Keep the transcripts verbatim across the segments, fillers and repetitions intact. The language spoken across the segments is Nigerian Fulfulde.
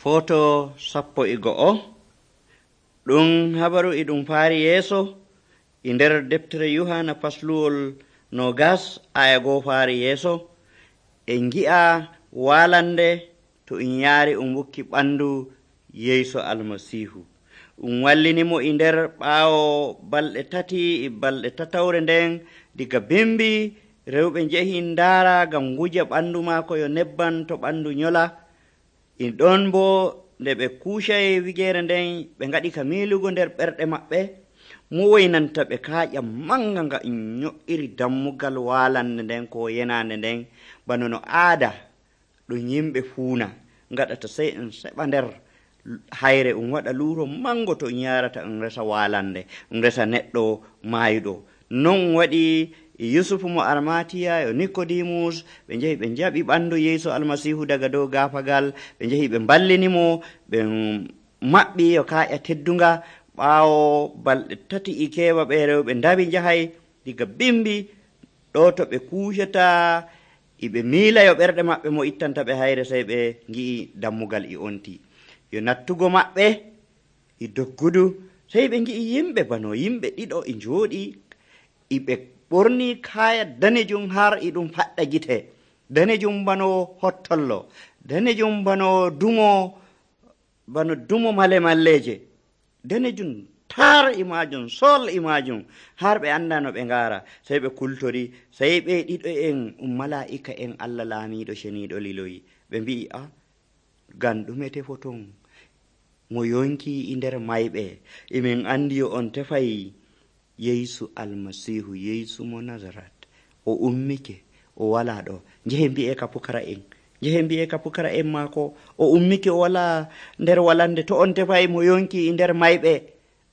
Foto sappo e go'o ɗum habaru e ɗum faari yeeso e nder deftere Yohana fasluwol nogas aya goo faari yeeso en gi'a walande to en yaari um wukki ɓandu Yeesu almasihu um wallinimo e nder ɓaawo balɗe tati e balɗe tatawre nden diga bimbi rewɓe njehi ndaara ngam wuja ɓandu maako yo nebban to ɓandu nyola in ɗon bo nde ɓe kuucay wigeere nden ɓe ngaɗi ka miilugo nder ɓerɗe maɓɓe mo woynanta ɓe kaaƴa manga nga in nyo'iri dammugal walande nden ko yenande nden bano no aada ɗum yimɓe fuuna ngaɗata sey en seɓa nder hayre um waɗa luuro mango to um yarata um resa walande um resa neɗɗo maayuɗo non um waɗi yusufu mo armatiya yo nikodimus ɓe njehi ɓe jaɓi ɓandu Yeesu almasihu daga dow gaafagal ɓe njehi ɓe ballinimo ɓe maɓɓi yo kaaƴa teddunga ɓaawo balɗe tati e keewa ɓe rewɓe ndawi njahay diga bimbi ɗo to ɓe kuucata iɓe miila yo ɓerɗe maɓɓe mo ittanta ɓe hayre sey ɓe ngi'i dammugal e onti yo nattugo maɓɓe e doggudu sey ɓe ngi'i yimɓe bano yimɓe ɗiɗo e njooɗi iɓe ɓorni kaya danejum har e ɗum faɗɗa gite danejum bano hottollo danejum bano dumo bano dumo male malleje danejum tar e majum sol e majum har ɓe anda no ɓe ngara sey ɓe kultori sey ɓe ɗiɗo en um mala'ika en Allah laamiɗo ceniɗo liloyi ɓe mbi'i a gan ɗume tefoton mo yonki e nder mayɓe emin andi yo on tefay Yeesu almasihu Yeesu mo Nazaret o ummike o wala ɗo njehe mbi'e ka pukara en njehe mbi'e ka pukara en maako o ummike o wala nder walande to on tefay mo yonki e nder mayɓe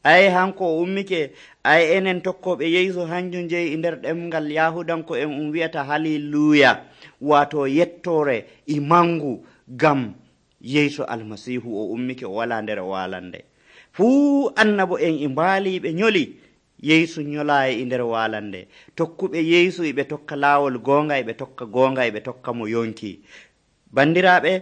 ay hanko o ummike ay enen tokkoɓe Yeesu hanjum jeyi e nder ɗemgal yahudanko en um wi'ata haliluya wato yettore e mangu gam Yeesu almasihu o ummike o wala nder walande fuu annabo en e mbaaliɓe nyoli Yeesu nyolaayi e nder walande tokkuɓe Yeesu eɓe tokka laawol goonga eɓe tokka goonga eɓe tokka mo yonki bandiraɓe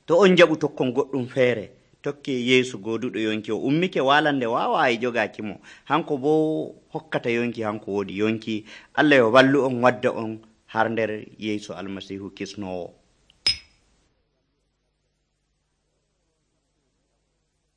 to on jaɓu tokkon goɗɗum feere tokki Yeesu gooduɗo yonki o ummike walande waawaayi jogaaki mo hanko bo hokkata yonki hanko woodi yonki Allah yo wallu on wadda on har nder Yeesu almasihu kisnowo